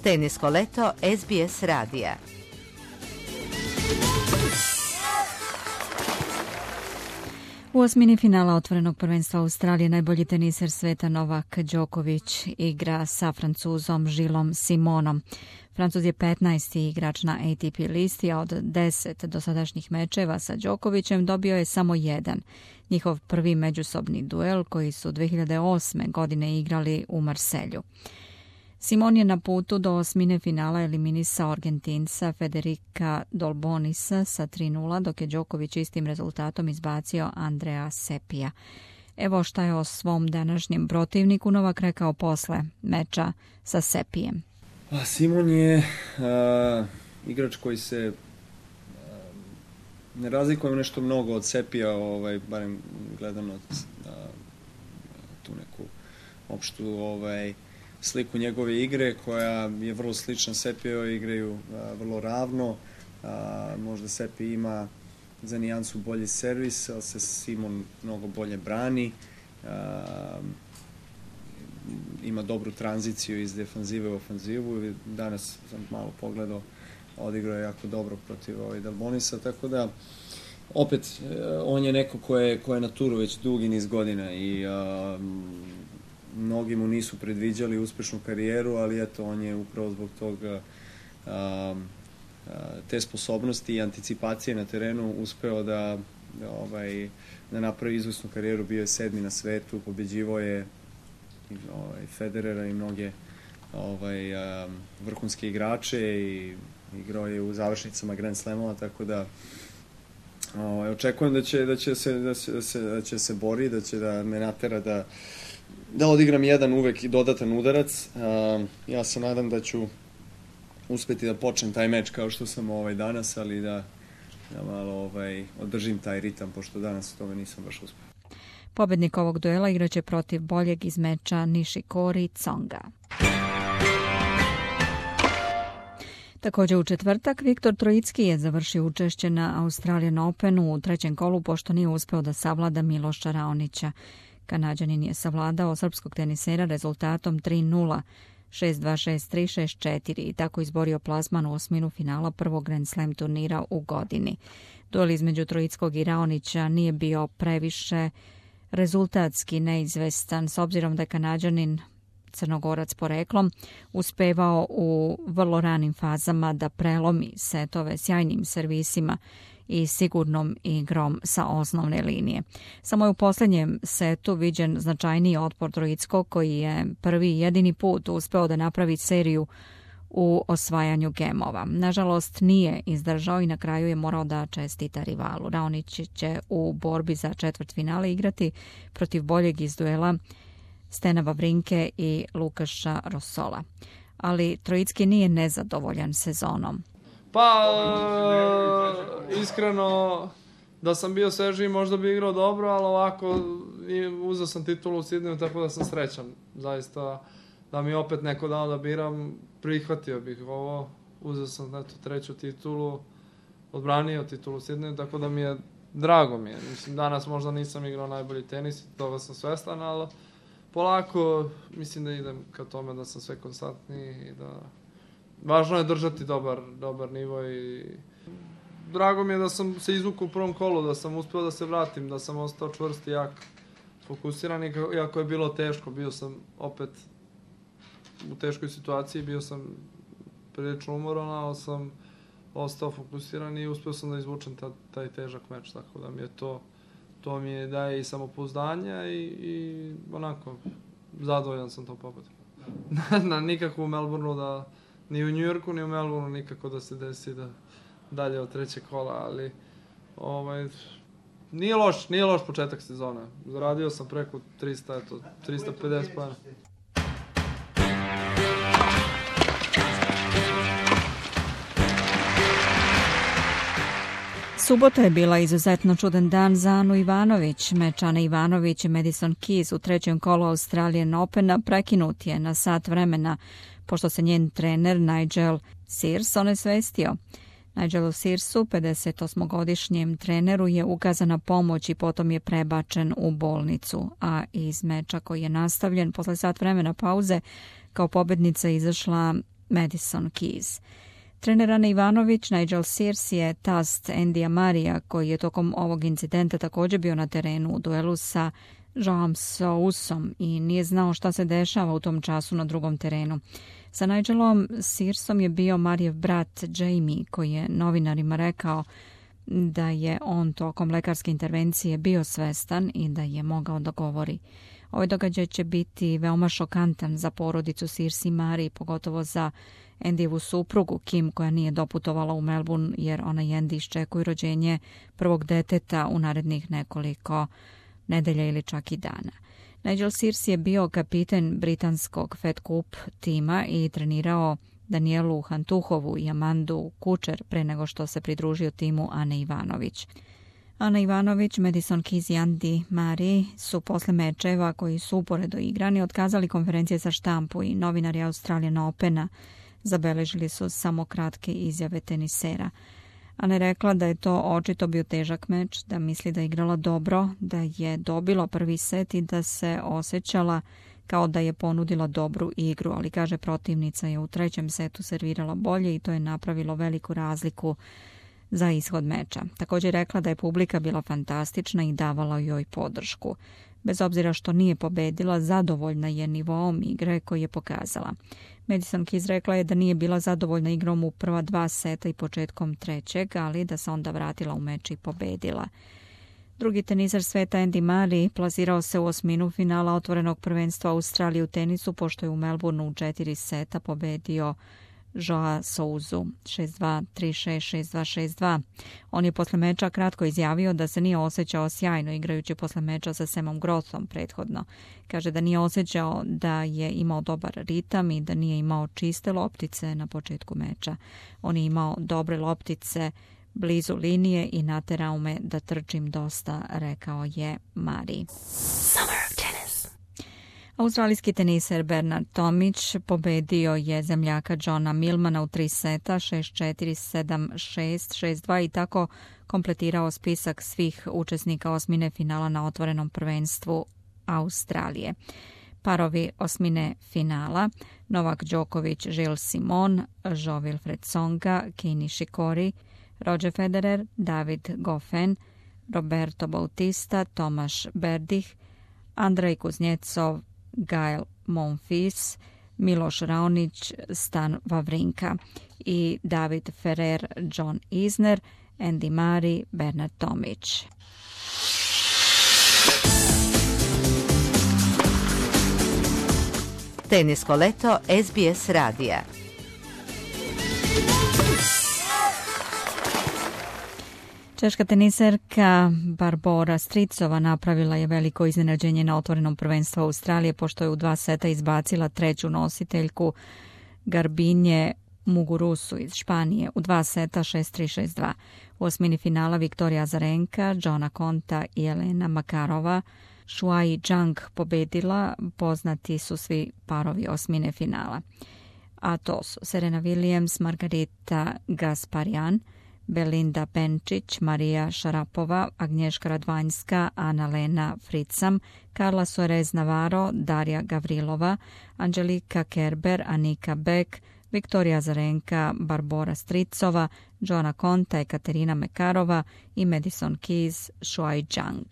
Tenisko leto SBS radija. U osmini finala otvorenog prvenstva Australije najbolji teniser sveta Novak Đoković igra sa Francuzom Gillesom Simonom. Francuz je 15. igrač na ATP listi, a od 10 dosadašnjih mečeva sa Đokovićem dobio je samo jedan. Njihov prvi međusobni duel koji su 2008. godine igrali u Marselju. Simon je na putu do osmine finala eliminisao Argentinca Federica Dolbonisa sa 3:0, dok je Đoković istim rezultatom izbacio Andrea Seppija. Evo šta je o svom današnjem protivniku Novak rekao posle meča sa Seppijem. Simon je igrač koji se ne razlikuje nešto mnogo od Seppija, barem gledano tu neku opštu sliku njegove igre koja je vrlo slična Seppijevoj, igraju vrlo ravno. Možda Seppi ima za nijansu bolji servis, ali se Simon mnogo bolje brani. Ima dobru tranziciju iz defanzive u ofanzivu. Danas sam malo pogledao, odigrao je jako dobro protiv Delbonisa, tako da opet on je neko ko je na turu već dugi niz godina i mnogi mu nisu predviđali uspešnu karijeru, ali eto, on je upravo zbog toga te sposobnosti i anticipacije na terenu uspeo da napravi izvrsnu karijeru. Bio je 7. na svetu, pobeđivao je Federera i mnoge vrhunske igrače i igrao je u završnicama Grand Slamova, tako da očekujem da će se bori, da će da me natera da odigram jedan uvek i dodatan udarac. Ja se nadam da ću uspeti da počnem taj meč kao što sam danas, ali da malo održim taj ritam, pošto danas u tome nisam baš uspeo. Pobednik ovog duela igraće protiv boljeg iz meča Nishikori Tsonga. Također u četvrtak Viktor Trojicki je završio učešće na Australian Openu u trećem kolu, pošto nije uspeo da savlada Miloša Raonića. Kanađanin je savladao srpskog tenisera rezultatom 3:0, 6:2, 6:3, 6:4 i tako izborio plasman u osminu finala prvog Grand Slam turnira u godini. Duel između Trojickog i Raonića nije bio previše rezultatski neizvestan, s obzirom da je Kanađanin, Crnogorac poreklom, uspevao u vrlo ranim fazama da prelomi setove sjajnim servisima i sigurnom igrom sa osnovne linije. Samo je u posljednjem setu viđen značajniji otpor Trojickog, koji je prvi i jedini put uspeo da napravi seriju u osvajanju gemova. Nažalost, nije izdržao i na kraju je morao da čestita rivalu. Raonić će u borbi za četvrtfinale igrati protiv boljeg iz duela Stena Wawrinke i Lukaša Rosola. Ali Trojicki nije nezadovoljan sezonom. Pa, iskreno, da sam bio svežiji možda bi igrao dobro, ali ovako uzeo sam titulu u Sidneju, tako da sam srećan. Zaista, da mi opet neko dao da biram, prihvatio bih ovo. Uzeo sam treću titulu, odbranio titulu u Sidneju, tako da mi je drago mi je. Mislim, danas možda nisam igrao najbolji tenis, toga sam svestan, ali polako mislim da idem ka tome da sam sve konstantniji i da važno je držati dobar nivo i drago mi je da sam se izvukao u prvom kolu, da sam uspeo da se vratim, da sam ostao čvrst i jak, fokusiran, iako je bilo teško, bio sam opet u teškoj situaciji, bio sam prilično umoran, ali sam ostao fokusiran i uspeo sam da izvučem taj težak meč, tako da mi je to mi je daje i samopouzdanja i onako zadovoljan sam tom pobedom. Nikako u Melbourneu ni u Njujorku, ni u Melbourneu nikako da se desi da dalje od trećeg kola, ali nije loš početak sezone. Zaradio sam preko 350 pojena. Subota je bila izuzetno čudan dan za Anu Ivanović. Meč Ane Ivanović i Madison Keys u trećem kolu Australian Opena prekinut je na sat vremena, pošto se njen trener Nigel Sears onesvestio. Nigelu Searsu, 58-godišnjem treneru, je ukazana pomoć i potom je prebačen u bolnicu, a iz meča koji je nastavljen posle sat vremena pauze kao pobednica izašla Madison Keys. Trener Ane Ivanović, Nigel Sears je tast Andya Murraya, koji je tokom ovog incidenta također bio na terenu u duelu sa Joaom Sousom i nije znao šta se dešava u tom času na drugom terenu. Sa Nigelom Searsom je bio Murrayev brat Jamie, koji je novinarima rekao da je on tokom lekarske intervencije bio svestan i da je mogao da govori. Ovaj događaj će biti veoma šokantan za porodicu Sears i Murray, pogotovo za Andyevu suprugu Kim, koja nije doputovala u Melbourne jer ona i Andy iščekuju rođenje prvog deteta u narednih nekoliko nedelja ili čak i dana. Nigel Sears je bio kapiten britanskog Fed Cup tima i trenirao Danielu Hantuhovu i Amandu Kučer pre nego što se pridružio timu Ane Ivanović. Ana Ivanović, Madison Keys i Andy Murray su posle mečeva koji su uporedo igrani otkazali konferencije za štampu i novinari Australian Opena zabeležili su samo kratke izjave tenisera. Ana je rekla da je to očito bio težak meč, da misli da je igrala dobro, da je dobila prvi set i da se osjećala kao da je ponudila dobru igru, ali kaže protivnica je u trećem setu servirala bolje i to je napravilo veliku razliku za ishod meča. Također je rekla da je publika bila fantastična i davala joj podršku. Bez obzira što nije pobedila, zadovoljna je nivoom igre koji je pokazala. Madison Keys rekla je da nije bila zadovoljna igrom u prva 2 seta i početkom trećeg, ali da se onda vratila u meč i pobedila. Drugi teniser sveta Andy Murray plasirao se u osminu finala otvorenog prvenstva Australije u tenisu, pošto je u Melbourneu u 4 seta pobedio Joao Sousu 6-2, 3-6, 6-2, 6-2. On je posle meča kratko izjavio da se nije osjećao sjajno igrajući posle meča sa Samom Grothom prethodno. Kaže da nije osjećao da je imao dobar ritam i da nije imao čiste loptice na početku meča. On je imao dobre loptice blizu linije i naterao me da trčim dosta, rekao je Murray. Australijski teniser Bernard Tomić pobedio je zemljaka Johna Millmana u 3 seta, 6-4, 7-6, 6-2 i tako kompletirao spisak svih učesnika osmine finala na otvorenom prvenstvu Australije. Parovi osmine finala: Novak Đoković, Gilles Simon, Jo-Wilfried Tsonga, Kei Nishikori, Roger Federer, David Goffin, Roberto Bautista, Tomaš Berdych, Andrej Kuznecov, Gael Monfils, Miloš Raonić, Stan Wawrinka i David Ferrer, John Isner, Andy Murray, Bernard Tomić. Tenisko leto SBS radija. Češka teniserka Barbora Stricova napravila je veliko iznenađenje na otvorenom prvenstvu Australije pošto je u 2 seta izbacila treću nositeljku Garbinje Mugurusu iz Španije u 2 seta 6-3, 6-2. U osmini finala Viktorija Azarenka, Joana Konta i Elena Makarova Shuai Zhang pobedila, poznati su svi parovi osmine finala. A to su Serena Williams, Margarita Gasparyan, Belinda Bencic, Marija Šarapova, Agnješka Radvanjska, Ana-Lena Fricam, Carla Suarez Navarro, Darja Gavrilova, Angelika Kerber, Anika Beck, Viktorija Azarenka, Barbora Stricova, Joana Konta, Ekaterina Mekarova i Madison Keys, Shuai Zhang.